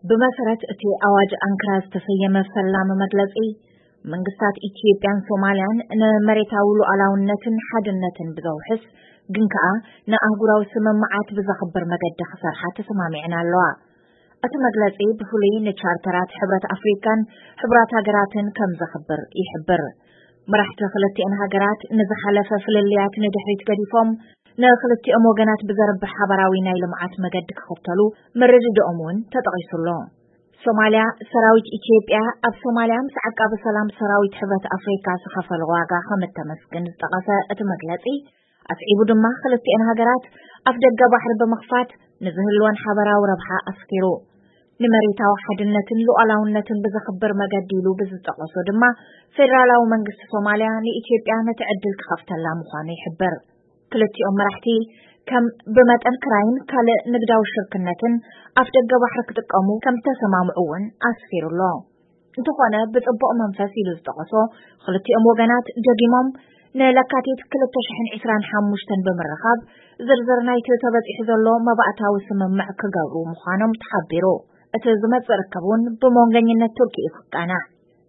ብመሰረት እቲ ኣዋጅ ኣንክራ ዝተሰየመ ፈላሚ መግለጺ፣ መንግስታት ኢትዮጵያን ሶማልያን ንመሬታዊ ሉዓላውነትን ሓድነትን ብዘውሕስ ግን ከኣ ንኣህጉራዊ ስምምዓት ብዘኽብር መገዲ ክሰርሓ ተሰማሚዐን ኣለዋ። እቲ መግለጺ ብፍሉይ ንቻርተራት ሕብረት ኣፍሪካን ሕቡራት ሃገራትን ከም ዘኽብር ይሕብር። መራሕቲ ክልቲአን ሃገራት ንዝሓለፈ ፍልልያት ንድሕሪት ገዲፎም ንክልቲኦም ወገናት ብዘርብሕ ሓባራዊ ናይ ልምዓት መገዲ ክኽተሉ ምርድዳኦም እውን ተጠቒሱ ኣሎ። ሶማልያ፣ ሰራዊት ኢትዮጵያ ኣብ ሶማልያ ምስ ዓቃቢ ሰላም ሰራዊት ሕብረት ኣፍሪካ ዝኸፈሎ ዋጋ ከም እተመስግን ዝጠቐሰ እቲ መግለጺ፣ ኣስዒቡ ድማ ክልቲአን ሃገራት ኣፍ ደገ ባሕሪ ብምኽፋት ንዝህልወን ሓበራዊ ረብሓ ኣስፊሩ። ንመሬታዊ ሓድነትን ሉዓላውነትን ብዘኽብር መገዲ ኢሉ ብዝጠቐሶ ድማ፣ ፌደራላዊ መንግስቲ ሶማልያ ንኢትዮጵያ ነቲ ዕድል ክኸፍተላ ምዃኑ ይሕብር። ክልቲኦም መራሕቲ ከም ብመጠን ክራይን ካልእ ንግዳዊ ሽርክነትን ኣፍ ደገ ባሕሪ ክጥቀሙ ከም ዝተሰማምዑ እውን ኣስፊሩ ኣሎ። እንተኾነ፣ ብጽቡቕ መንፈስ ኢሉ ዝጠቐሶ፣ ክልቲኦም ወገናት ደጊሞም ንለካቲት ክልተ ሽሕን ዕስራን ሓሙሽተን ብምርኻብ ዝርዝር ናይቲ ተበጺሑ ዘሎ መባእታዊ ስምምዕ ክገብሩ ምዃኖም ተሓቢሩ። እቲ ዝመጽእ ርክብ እውን ብመንገኝነት ቱርኪ እዩ ክቃናዕ።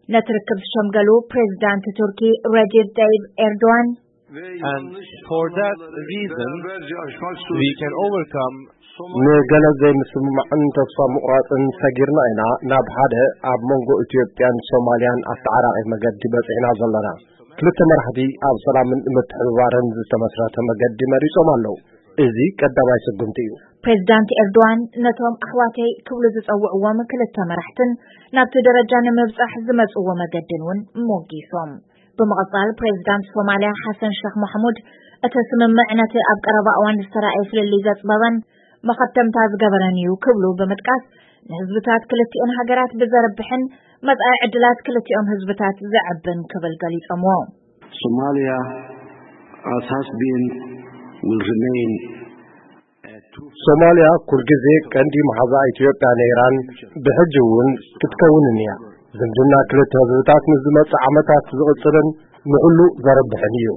ነቲ ርክብ ዝሸምገሉ ፕሬዚዳንት ቱርኪ ረጀብ ጠይብ ኤርዶዋን፣ And for that reason, we can overcome ንገለ ዘይምስምማዕን ተስፋ ምቑራፅን ሰጊርና ኢና ናብ ሓደ ኣብ መንጎ ኢትዮጵያን ሶማልያን ኣተዓራቒ መገዲ በፂሕና ዘለና። ክልተ መራሕቲ ኣብ ሰላምን ምትሕብባርን ዝተመስረተ መገዲ መሪፆም ኣለዉ። እዚ ቀዳማይ ስጉምቲ እዩ። ፕሬዚዳንት ኤርዶዋን ነቶም ኣሕዋተይ ክብሉ ዝጸውዕዎም ክልተ መራሕትን ናብቲ ደረጃ ንምብጻሕ ዝመጽዎ መገድን እውን ሞጊሶም። ብምቕጻል ፕሬዚዳንት ሶማልያ ሓሰን ሸኽ ማሕሙድ፣ እቲ ስምምዕ ነቲ ኣብ ቀረባ እዋን ዝተራእየ ፍልልይ ዘጽበበን መኸተምታ ዝገበረን እዩ ክብሉ ብምጥቃስ፣ ንህዝብታት ክልቲኦን ሃገራት ብዘርብሕን መጻኢ ዕድላት ክልቲኦም ህዝብታት ዘዕብን ክብል ገሊጾምዎ። Somalia, as has been, will remain ሶማልያ ኩልግዜ ቀንዲ መሓዛ ኢትዮጵያ ነይራን ብሕጂ እውን ክትከውንን እያ። ዝምድና ክልተ ህዝብታት ንዝመጽእ ዓመታት ዝቕጽልን ንኹሉ ዘርብሕን እዩ።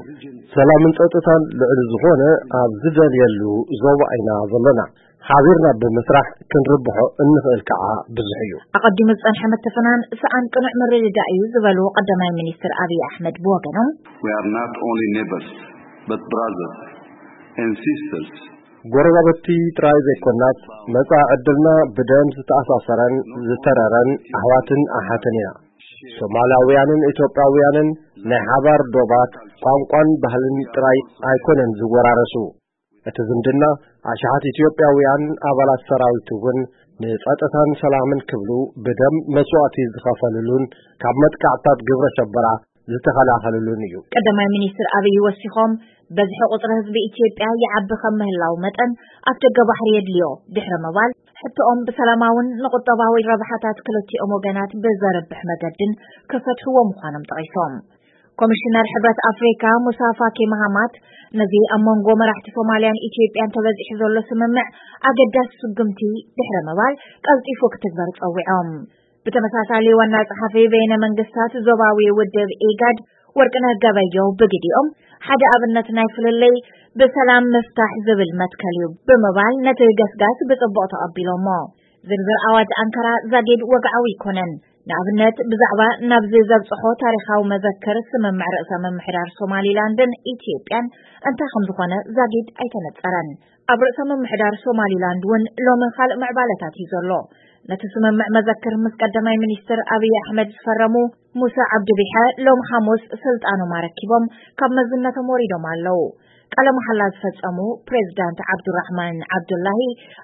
ሰላምን ጸጥታን ልዕሊ ዝኾነ ኣብ ዝደልየሉ ዞባ ኢና ዘለና። ሓቢርና ብምስራሕ ክንርብሖ እንኽእል ከዓ ብዙሕ እዩ። ኣቐዲሙ ዝጸንሐ ምትፍናን ሰኣን ቅኑዕ ምርድዳእ እዩ ዝበሉ ቀዳማይ ሚኒስትር ኣብይ ኣሕመድ ብወገኖም፣ We are not only neighbors, but brothers and sisters. ጎረባብቲ ጥራይ ዘይኮናስ መጻኢ ዕድልና ብደም ዝተኣሳሰረን ዝተረረን ኣሕዋትን ኣሓትን ኢና። ሶማላውያንን ኢትዮጵያውያንን ናይ ሓባር ዶባት፣ ቋንቋን ባህልን ጥራይ ኣይኮነን ዝወራረሱ። እቲ ዝምድና ኣሽሓት ኢትዮጵያውያን ኣባላት ሰራዊት እውን ንጸጥታን ሰላምን ክብሉ ብደም መስዋእቲ ዝኸፈልሉን ካብ መጥቃዕትታት ግብረ ሸበራ ዝተኸላኸልሉን እዩ። ቀዳማይ ሚኒስትር ኣብይ ወሲኾም፣ በዝሒ ቁጽሪ ህዝቢ ኢትዮጵያ ይዓቢ ከም ምህላው መጠን ኣፍደገ ባሕሪ የድልዮ ድሕሪ ምባል፣ ሕቶኦም ብሰላማውን ንቁጠባዊ ረብሓታት ክልቲኦም ወገናት ብዘርብሕ መገድን ክፈትሕዎ ምዃኖም ጠቒሶም። ኮሚሽነር ሕብረት ኣፍሪካ ሙሳ ፋኪ ማሃማት ነዚ ኣብ መንጎ መራሕቲ ሶማልያን ኢትዮጵያን ተበጺሑ ዘሎ ስምምዕ ኣገዳሲ ስጉምቲ ድሕሪ ምባል ቀልጢፉ ክትግበር ጸዊዖም። ብተመሳሳሊ ዋና ጸሓፊ በይነ መንግስታት ዞባዊ ውድብ ኢጋድ ወርቅነህ ገበየው ብግዲኦም ሓደ ኣብነት ናይ ፍልልይ ብሰላም ምፍታሕ ዝብል መትከል እዩ ብምባል ነቲ ገስጋስ ብጽቡቕ ተቐቢሎሞ። ዝርዝር ኣዋጅ ኣንካራ ዛጊድ ወግዓዊ ኣይኮነን። ንኣብነት ብዛዕባ ናብዚ ዘብጽሖ ታሪኻዊ መዘክር ስምምዕ ርእሰ ምምሕዳር ሶማሊላንድን ኢትዮጵያን እንታይ ከም ዝኾነ ዛጊድ ኣይተነጸረን። ኣብ ርእሰ ምምሕዳር ሶማሊላንድ እውን ሎሚ ካልእ ምዕባለታት እዩ ዘሎ። ነቲ ስምምዕ መዘክር ምስ ቀዳማይ ሚኒስትር ኣብይ ኣሕመድ ዝፈረሙ ሙሳ ዓብዲ ቢሐ ሎም ሓሙስ ስልጣኖም ኣረኪቦም ካብ መዝነቶም ወሪዶም ኣለዉ። ቃለ መሓላ ዝፈጸሙ ፕሬዚዳንት ዓብዱራሕማን ዓብዱላሂ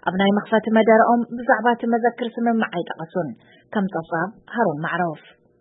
ኣብ ናይ መኽፈቲ መደረኦም ብዛዕባ እቲ መዘክር ስምምዕ ኣይጠቐሱን። ከም ጸብጻብ ሃሩን ማዕሮፍ።